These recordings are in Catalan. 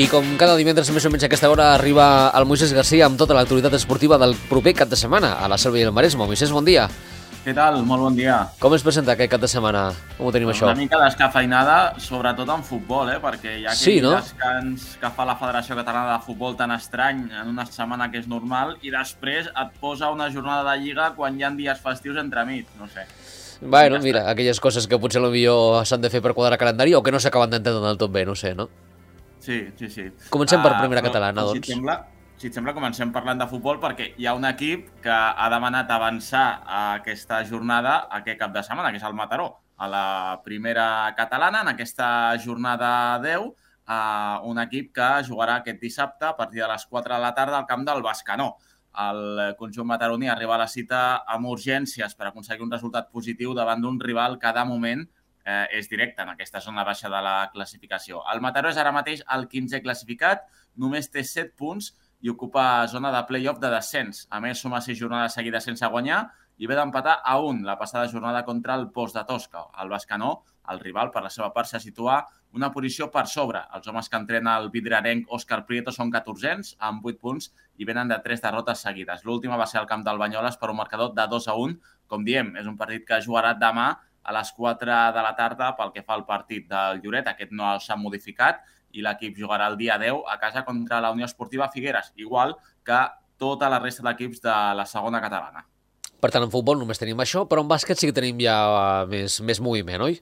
I com cada divendres més o menys a aquesta hora arriba el Moisés Garcia amb tota l'actualitat esportiva del proper cap de setmana a la Selva i el Maresme. Moisés, bon dia. Què tal? Molt bon dia. Com es presenta aquest cap de setmana? Com ho tenim, això? Una mica descafeinada, sobretot en futbol, perquè hi ha aquell descans que fa la Federació Catalana de Futbol tan estrany en una setmana que és normal i després et posa una jornada de Lliga quan hi ha dies festius entremig, no sé. Bueno, mira, aquelles coses que potser potser s'han de fer per quadrar calendari o que no s'acaben d'entendre del tot bé, no sé, no? Sí. Comencem per primera catalana, doncs. Si et sembla, comencem parlant de futbol perquè hi ha un equip que ha demanat avançar a aquesta jornada aquest cap de setmana, que és el Mataró, a la primera catalana, en aquesta jornada 10, un equip que jugarà aquest dissabte a partir de les 4 de la tarda al camp del Bescanó. El conjunt mataroní arriba a la cita amb urgències per aconseguir un resultat positiu davant d'un rival que de moment és directe en aquesta zona baixa de la classificació. El Mataró és ara mateix el 15è classificat, només té 7 punts i ocupa zona de play-off de descens. A més, suma 6 jornades seguides sense guanyar i ve d'empatar a 1 la passada jornada contra el Post de Tosca. El Bescanó, el rival, per la seva part, se situa una posició per sobre. Els homes que entrena el vidriarenc Òscar Prieto són 14ens, amb 8 punts, i venen de 3 derrotes seguides. L'última va ser al camp del Banyoles per un marcador de 2-1. Com diem, és un partit que jugarà demà a les 4 de la tarda pel que fa al partit del Lloret. Aquest no s'ha modificat i l'equip jugarà el dia 10 a casa contra la Unió Esportiva Figueres, igual que tota la resta d'equips de la segona catalana. Per tant, en futbol només tenim això, però en bàsquet sí que tenim ja més moviment, oi?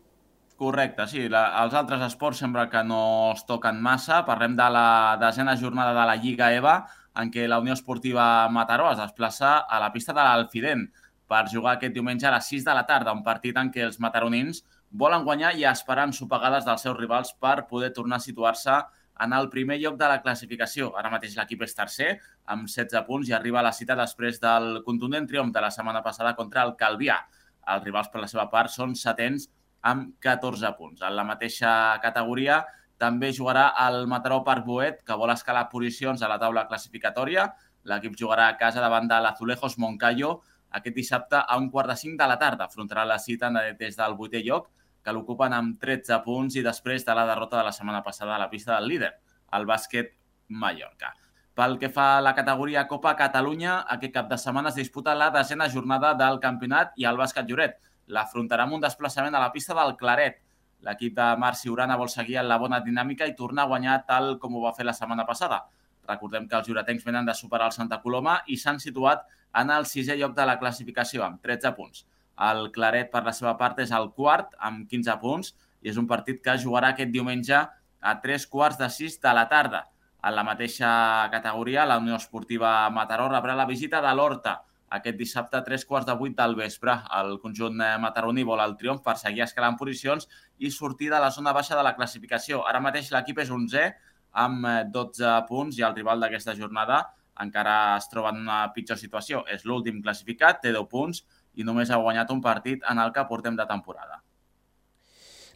Correcte, sí. Els altres esports sembla que no es toquen massa. Parlem de la desena jornada de la Lliga EVA, en què la Unió Esportiva Mataró es desplaça a la pista de l'Alfident per jugar aquest diumenge a les 6 de la tarda, un partit en què els mataronins volen guanyar i esperar ensopegades dels seus rivals per poder tornar a situar-se en el primer lloc de la classificació. Ara mateix l'equip és tercer, amb 16 punts, i arriba a la cita després del contundent triomf de la setmana passada contra el Calvià. Els rivals, per la seva part, són setens amb 14 punts. En la mateixa categoria també jugarà el Mataró Parc Boet, que vol escalar posicions a la taula classificatòria. L'equip jugarà a casa davant de l'Azulejos Moncayo aquest dissabte a 4:45 de la tarda. Afrontarà la cita des del 8è lloc, que l'ocupen amb 13 punts i després de la derrota de la setmana passada a la pista del líder, el Bàsquet Mallorca. Pel que fa a la categoria Copa Catalunya, aquest cap de setmana es disputa la desena jornada del campionat i el Bàsquet Lloret l'afrontarà amb un desplaçament a la pista del Claret. L'equip de Marc Siurana vol seguir en la bona dinàmica i tornar a guanyar tal com ho va fer la setmana passada. Recordem que els lloretencs venen de superar el Santa Coloma i s'han situat en el 6è lloc de la classificació, amb 13 punts. El Claret, per la seva part, és el quart, amb 15 punts, i és un partit que jugarà aquest diumenge a 3:45 de la tarda. En la mateixa categoria, la Unió Esportiva Mataró rebrà la visita de l'Horta aquest dissabte a 3:15 del vespre. El conjunt mataroní vol el triomf per seguir escalant posicions i sortir de la zona baixa de la classificació. Ara mateix l'equip és 11è, amb 12 punts, i el rival d'aquesta jornada encara es troba en una pitjor situació. És l'últim classificat, té 10 punts i només ha guanyat un partit en el que portem de temporada.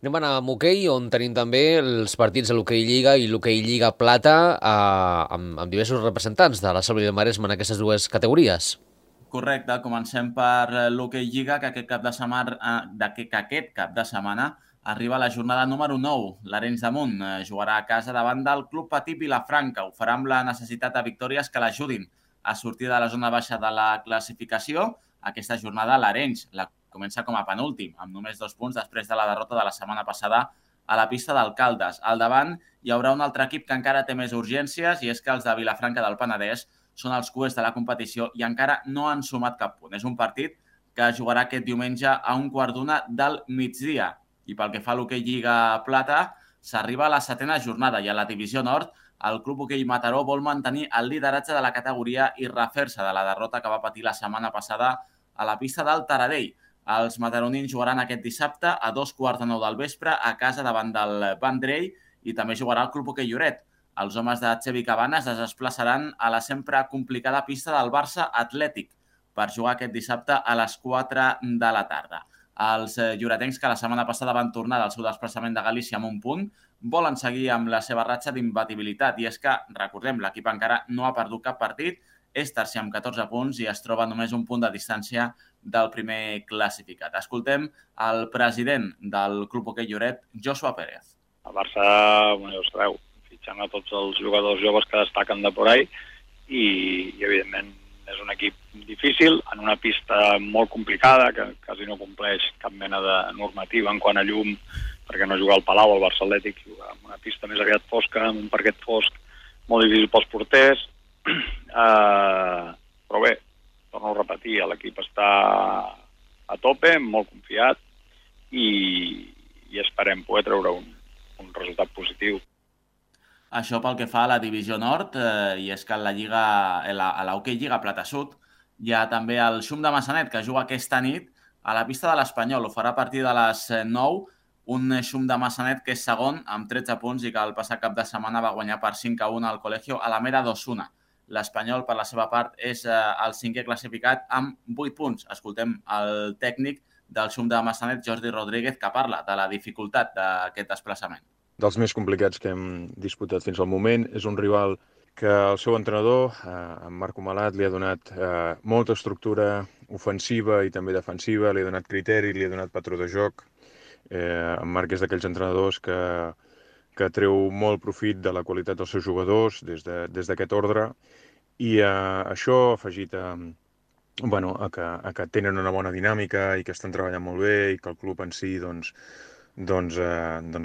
Anem a anar amb hoquei, on tenim també els partits de l'hoquei Lliga i l'hoquei Lliga Plata amb diversos representants de la Selva i el Maresme en aquestes dues categories. Correcte, comencem per l'hoquei Lliga, que aquest cap de setmana arriba a la jornada número 9. L'Arenys de Munt jugarà a casa davant del Club Patí Vilafranca. Ho farà amb la necessitat de victòries que l'ajudin a sortir de la zona baixa de la classificació. Aquesta jornada l'Arenys la comença com a penúltim, amb només 2 punts després de la derrota de la setmana passada a la pista d'Alcaldes. Al davant hi haurà un altre equip que encara té més urgències, i és que els de Vilafranca del Penedès són els cuers de la competició i encara no han sumat cap punt. És un partit que jugarà aquest diumenge a 1:15 del migdia. I pel que fa a l'hoquei Lliga Plata, s'arriba a la 7a jornada i a la divisió nord el Club Hoquei Mataró vol mantenir el lideratge de la categoria i refer-se de la derrota que va patir la setmana passada a la pista del Taradell. Els mataronins jugaran aquest dissabte a 2:15 del vespre a casa davant del Vendrell i també jugarà el Club Hoquei Lloret. Els homes de Xevi Cabanes es desplaçaran a la sempre complicada pista del Barça Atlètic per jugar aquest dissabte a les 4 de la tarda. Els lloretencs, que la setmana passada van tornar del seu desplaçament de Galícia amb un punt, volen seguir amb la seva ratxa d'imbatibilitat. I és que, recordem, l'equip encara no ha perdut cap partit, és tercer amb 14 punts i es troba només un punt de distància del primer classificat. Escoltem el president del Club Hoquei Lloret, Joshua Pérez. El Barça, ja ho sabeu, fitxant a tots els jugadors joves que destaquen de por ahí i evidentment és un equip difícil, en una pista molt complicada, que quasi no compleix cap mena de normativa en quant a llum, perquè no juga al Palau, al Barça Atlètic, juga en una pista més aviat fosca, en un parquet fosc, molt difícil pels porters. Però bé, torno a repetir, l'equip està a tope, molt confiat, i esperem poder treure un resultat positiu. Això pel que fa a la Divisió Nord, i és que a l'Hockey Lliga Plata Sud hi ha també el Xum de Massanet, que juga aquesta nit a la pista de l'Espanyol. Ho farà a partir de les 9, un Xum de Massanet que és segon amb 13 punts i que el passat cap de setmana va guanyar per 5-1 al Colegio Alameda d'Osuna. L'Espanyol, per la seva part, és el cinquè classificat amb 8 punts. Escoltem el tècnic del Xum de Massanet, Jordi Rodríguez, que parla de la dificultat d'aquest desplaçament. Dels més complicats que hem disputat fins al moment. És un rival que el seu entrenador, en Marco Malat, li ha donat molta estructura ofensiva i també defensiva, li ha donat criteri, li ha donat patró de joc. En Marc és d'aquells entrenadors que treu molt profit de la qualitat dels seus jugadors des d'aquest ordre, i això afegit a que tenen una bona dinàmica i que estan treballant molt bé i que el club en si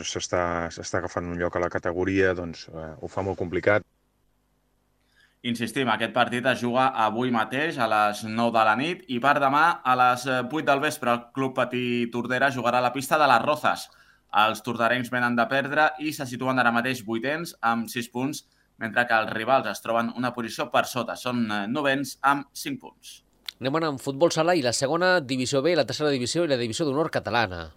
s'està agafant un lloc a la categoria, ho fa molt complicat. Insistim, aquest partit es juga avui mateix a les 9 de la nit i per demà a les 8 del vespre el Club Patí Tordera jugarà a la pista de les Rozas. Els torderencs venen de perdre i se situen ara mateix 8ens amb 6 punts, mentre que els rivals es troben una posició per sota. Són 9ens amb 5 punts. Anem amb futbol sala i la segona divisió B, la tercera divisió i la divisió d'honor catalana.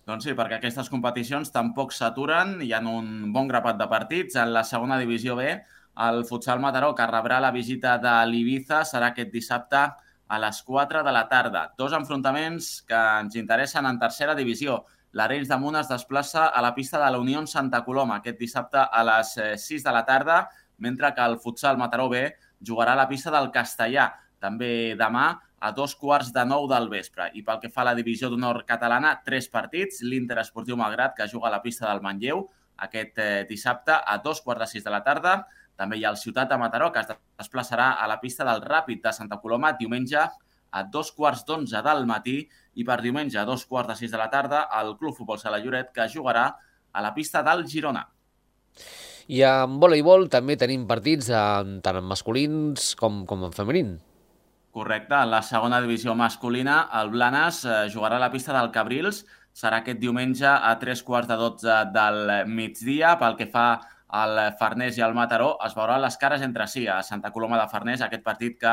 Doncs sí, perquè aquestes competicions tampoc s'aturen. Hi ha un bon grapat de partits. En la segona divisió B, el Futsal Mataró, que rebrà la visita de l'Ibiza, serà aquest dissabte a les 4 de la tarda. Dos enfrontaments que ens interessen en tercera divisió. L'Arenys de Munt es desplaça a la pista de la Unió Santa Coloma aquest dissabte a les 6 de la tarda, mentre que el Futsal Mataró B jugarà a la pista del Castellà, també demà a 8:45 del vespre. I pel que fa a la divisió d'honor catalana, 3 partits. L'Inter Esportiu Malgrat, que juga a la pista del Manlleu aquest dissabte a 2:45 de la tarda. També hi ha el Ciutat de Mataró, que es desplaçarà a la pista del Ràpid de Santa Coloma diumenge a 2:15 del matí, i per diumenge a 2:15 de la tarda el Club Futbol Sala Lloret, que jugarà a la pista del Girona. I en voleibol també tenim partits tant en masculins com en feminin. Correcte, en la segona divisió masculina el Blanes jugarà a la pista del Cabrils, serà aquest diumenge a 11:45 del migdia. Pel que fa al Farners i al Mataró, es veuran les cares entre si a Santa Coloma de Farners, aquest partit que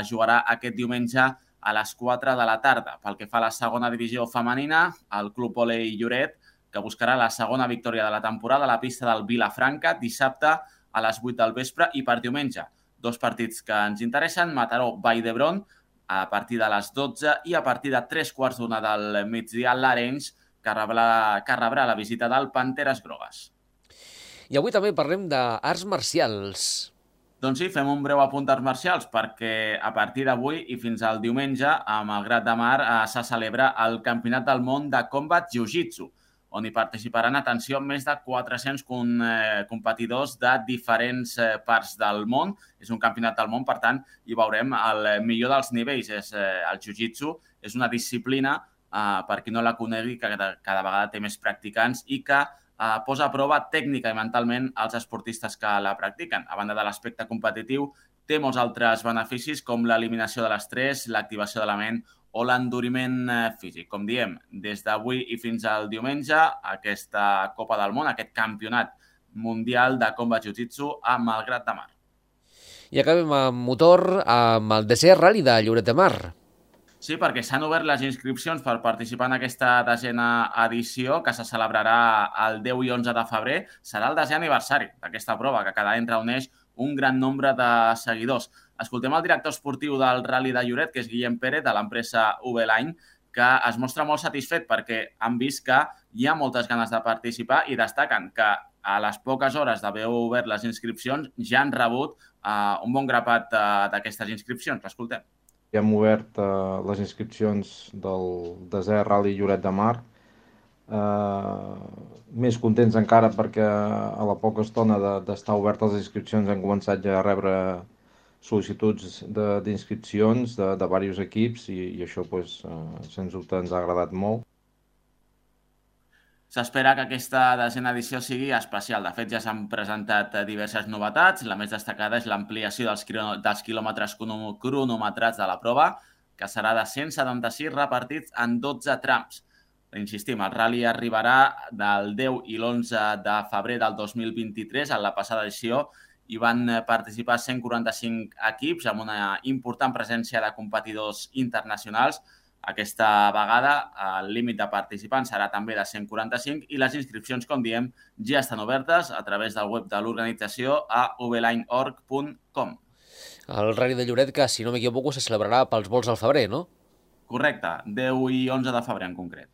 jugarà aquest diumenge a les 4 de la tarda. Pel que fa a la segona divisió femenina, el Club Volei Lloret, que buscarà la segona victòria de la temporada a la pista del Vilafranca, dissabte a les 8 del vespre, i per diumenge dos partits que ens interessen: Mataró-Vall d'Hebron a partir de les 12 i a partir de 3:15 del migdia l'Arenys, que rebrà la visita del Panteres Grogues. I avui també parlem d'arts marcials. Doncs sí, fem un breu apunt d'arts marcials, perquè a partir d'avui i fins al diumenge a Malgrat de Mar se celebra el Campionat del Món de Combat Jiu-Jitsu, on hi participaran, atenció, més de 400 competidors de diferents parts del món. És un campionat del món, per tant, hi veurem el millor dels nivells. El jiu-jitsu és una disciplina, per qui no la conegui, que cada vegada té més practicants i que posa a prova tècnica i mentalment els esportistes que la practiquen. A banda de l'aspecte competitiu, té molts altres beneficis, com l'eliminació de l'estrès, l'activació de la ment o l'enduriment físic. Com diem, des d'avui i fins al diumenge, aquesta Copa del Món, aquest campionat mundial de combat jiu-jitsu a Malgrat de Mar. I acabem amb motor, amb el DC Rally de Lloret de Mar. Sí, perquè s'han obert les inscripcions per participar en aquesta 10a edició, que se celebrarà el 10 i 11 de febrer. Serà el 10è aniversari d'aquesta prova, que cada any reuneix un gran nombre de seguidors. Escoltem el director esportiu del Rally de Lloret, que és Guillem Pérez, de l'empresa V-Line, que es mostra molt satisfet perquè han vist que hi ha moltes ganes de participar i destaquen que a les poques hores d'haver obert les inscripcions ja han rebut un bon grapat d'aquestes inscripcions. L'escoltem. Ja hem obert les inscripcions del 10è Rally Lloret de Mar més contents encara perquè a la poca estona d'estar obertes les inscripcions hem començat ja a rebre sol·licituds d'inscripcions de diversos equips i això, sens dubte, ens ha agradat molt. S'espera que aquesta desena edició sigui especial. De fet, ja s'han presentat diverses novetats. La més destacada és l'ampliació dels quilòmetres cronometrats de la prova, que serà de 176 repartits en 12 trams. Insistim, el rally arribarà del 10 i l'11 de febrer del 2023. En la passada edició hi van participar 145 equips amb una important presència de competidors internacionals. Aquesta vegada el límit de participants serà també de 145 i les inscripcions, com diem, ja estan obertes a través del web de l'organització a vline.org.com. El Rally de Lloret, que, si no m'equivoco, se celebrarà pels vols al febrer, no? Correcte, 10 i 11 de febrer en concret.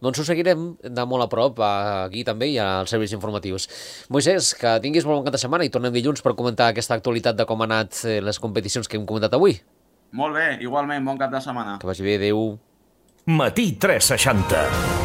Doncs ho seguirem de molt a prop aquí també i als serveis informatius. Moisès, que tinguis molt bon cap de setmana i tornem dilluns per comentar aquesta actualitat de com han anat les competicions que hem comentat avui. Molt bé, igualment, bon cap de setmana. Que vagi bé, adéu. Matí 360.